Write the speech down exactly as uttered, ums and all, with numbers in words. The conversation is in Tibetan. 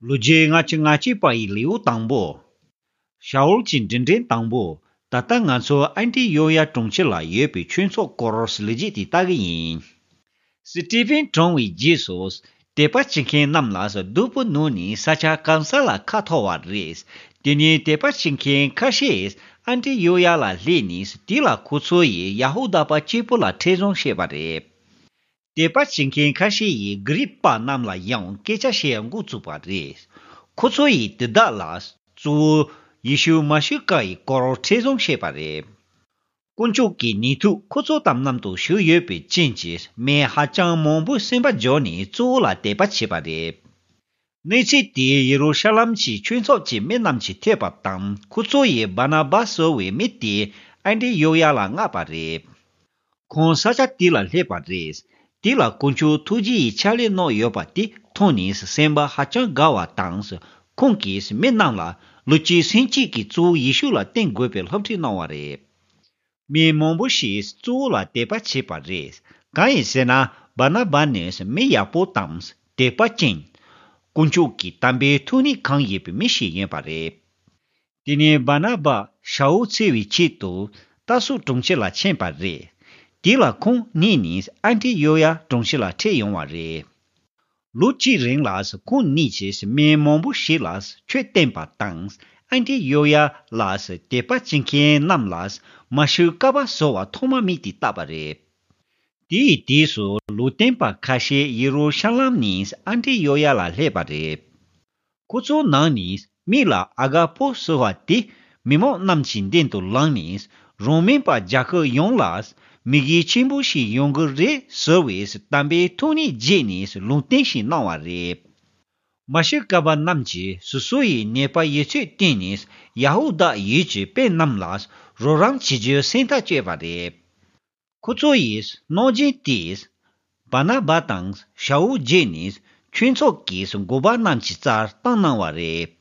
ལོ་རྒྱུས་ལྔ་བཅུ་ང་གཅིག་པ་ཡི་ལེའུ་དང་པོ། ཤ་འུལ་གྱི་འབྲིང་འབྲིང་དང་པོ། ད་ལྟ་ང་ཚོ་ཨན་ཏི་ཡོ་ཡ་གྲོང་ཁྱེར་ལ་ཡོད་པའི་ཆོས་ཚོགས་སྐོར་ལས་རྒྱུས་དེ་ལྟ་གི་ཡིན། སི་ཏི་ཕིན་གྲོངས་པའི་རྗེས་སུ། དད་པ་བྱེད་མཁན་རྣམས་ལ་སྡུག་པོ་ནུས་ནས་ས་ཆ་གང་ས་ལ་ཁ་འཐོར་བ་རེད། དེ་ནས་དད་པ་བྱེད་མཁན་ཁ་ཤས་ཨན་ཏི་ཡོ་ཡ་ལ་སླེབས་ནས་དེ་ལ་ཁོ་ཚོ་ཡིས་ཡ་ཧུ་དཱ་པ་གཅིག་པུ་ལ་ཁྲིད་སྦྱོང་བྱས་པ་རེད། དད་པ་བྱེད་མཁན་ཁ་ཤས་ཡིས་གྷི་རིག་པ་རྣམས་ལ་ཡང་སྐད་ཆ་བཤད་འགོ་བཙུགས་པ་རེད། ཁོ་ཚོ་ཡིས་དེ་དག་ལ་གཙོ་བོ་ཡེ་ཤུ་མ་ཤི་ཀ་ཡི་སྐོར་ཁྲིད་སྦྱོང་བྱས་པ་རེད། དཀོན་མཆོག་གི་ནུས་མཐུ་ཁོ་ཚོ་དང་མཉམ་དུ་བཞུགས་ཡོད་པའི་རྐྱེན་གྱིས་མི་ཧ་ཅང་མང་པོས་སེམས་པ་འཇོག་ནས་གཙོ་བོ་ལ་དད་པ་བྱས་པ་རེད། གནས་ཚུལ་དེ་ཡེ་རུ་ཤ་ལམ་གྱི་ཆོས་ཚོགས་ཀྱི་མི་རྣམས་ཀྱིས་ཐོས་པ་དང་ཁོ་ཚོ་ཡིས་བར་ན་བཱ་ཟེར་བའི་མི་དེ་ཨན་ཏི་ཡོ་ཡ་ལ་མངགས་པ་རེད། ཁོང་ས་ཆ་དེ་ལ་སླེབས་པ་རེད། དེ་ལ་དཀོན་མཆོག་ཐུགས་རྗེ་ཡི་ཕྱག་ལས་གནང་ཡོད་པ་དེ་མཐོང་ནས་སེམས་པ་ཧ་ཅང་དགའ་བ་དང་། ཁོང་གིས་མི་རྣམས་ལ་ལོ་གཅིག་སེམས་བསྐྱེད་ཀྱིས་གཙོ་བོ་ཡེ་ཤུ་ལ་བརྟེན་དགོས་པའི་སློབ་ཁྲིད་གནང་བ་རེད། མི་མང་པོ་ཞིག་གཙོ་བོ་ལ་དད་པ་བྱས་པ་རེད། གང་ཡིན་ཟེར་ན་བར་ན་བཱ་ནི་མི་ཡག་པོ་དང་དད་པ་ཅན། དཀོན་མཆོག་གི་དམ་པའི་ཐུགས་ཉིད་གང་ཡིན་པའི་མི་ཞིག་ཡིན་པ་རེད། དེ་ནས་བར་ན་བཱ་ཤ་འུལ་འཚོལ་བའི་ཆེད་དུ་ཏར་སུ་གྲོང་ཁྱེར་ལ་ཕྱིན་པ་རེད། དེ་ལ་ཁོང་གཉིས་ནི་ཨན་ཏི་ཡོ་ཡ་གྲོང་ཁྱེར་ལ་ཁྲིད་ཡོང་བ་རེད། ལོ་གཅིག་རིང་ལ་ཁོང་གཉིས་ཀྱིས་མི་མང་པོ་ཞིག་ལ་ཆོས་བསྟན་པ་དང་ཨན་ཏི་ཡོ་ཡ་ལ་དད་པ་བྱེད་མཁན་རྣམས་ལ་མ་ཤི་ཀ་པ་ཟེར་བ་ཐོག་མ་མི་དེ་བཏགས་པ་རེད། དེའི་དུས་སུ་ལུང་སྟོན་པ་ཁ་ཤས་ཡེ་རུ་ཤ་ལམ་ནས་ཨན་ཏི་ཡོ་ཡ་ལ་སླེབས་པ་རེད། ཁོ་ཚོའི་ནང་ནས་མིག་ལ་ཨ་ག་པོ་ཟེར་བ་དེ་མི་མང་རྣམས་ཀྱི་མདུན་དུ་ལངས་ནས་རང་མིན་པ་རྒྱལ་ཁབ་ཡོངས་ལ་མི་གེ་ཆེན་པོ་ཞིག་ཡོང་གི་རེད་ཟེར་བའི་དམ་པའི་ཐུགས་ཉིད་བརྗེད་ནས་ལུང་བསྟན་ཞིག་གནང་བ་རེད། མ་ཤི་ཀ་པ་རྣམས་ཀྱིས་སོ་སོ་ཡི་ནད་པ་ཡོད་ཚད་བསྟེན་ནས་ཡ་ཧུ་དཱ་ཡུལ་གྱི་དཔོན་རྣམས་ལ་རོགས་རམ་བྱེད་རྒྱུའི་སེམས་ཐག་བཅད་པ་རེད། ཁོ་ཚོ་ཡིས་གནང་སྦྱིན་དེས་བར་ན་བཱ་དང་ཤ་འུལ་བརྗེས་ནས་ཆོས་ཚོགས་ཀྱི་འགོ་པ་རྣམས་ཀྱི་རྩར་བཏང་གནང་བ་རེད།